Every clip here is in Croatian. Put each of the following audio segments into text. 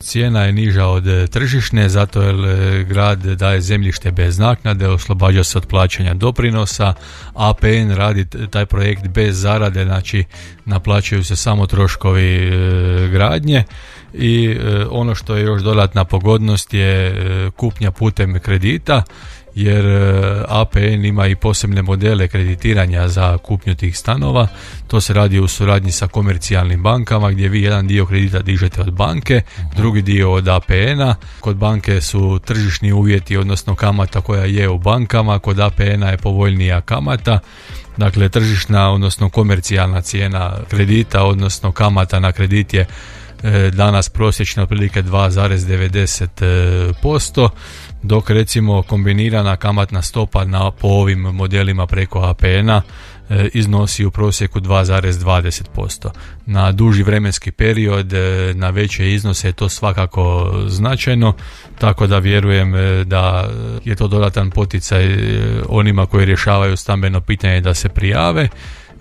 cijena je niža od tržišne, zato jer grad daje zemljište bez naknade, oslobađa se od plaćanja doprinosa, APN radi taj projekt bez zarade, znači naplaćuju se samo troškovi gradnje. I ono što je još dodatna pogodnost je kupnja putem kredita, jer APN ima i posebne modele kreditiranja za kupnju tih stanova. To se radi u suradnji sa komercijalnim bankama, gdje vi jedan dio kredita dižete od banke, drugi dio od APN-a. Kod banke su tržišni uvjeti, odnosno kamata koja je u bankama, kod APN-a je povoljnija kamata. Dakle, tržišna, odnosno komercijalna cijena kredita, odnosno kamata na kredit je danas prosječno otprilike 2,90%, dok recimo kombinirana kamatna stopa po ovim modelima preko APN-a iznosi u prosjeku 2,20%. Na duži vremenski period, na veće iznose je to svakako značajno, tako da vjerujem da je to dodatan poticaj onima koji rješavaju stambeno pitanje da se prijave.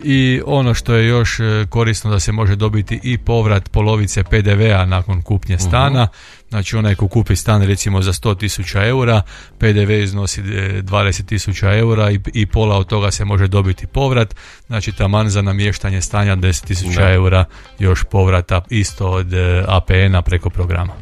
I ono što je još korisno, da se može dobiti i povrat polovice PDV-a nakon kupnje stana. Znači onaj ko kupi stan recimo za 100.000 eura, PDV iznosi 20.000 eura i pola od toga se može dobiti povrat. Znači taman za namještanje stanja 10.000 eura još povrata isto od APN-a preko programa.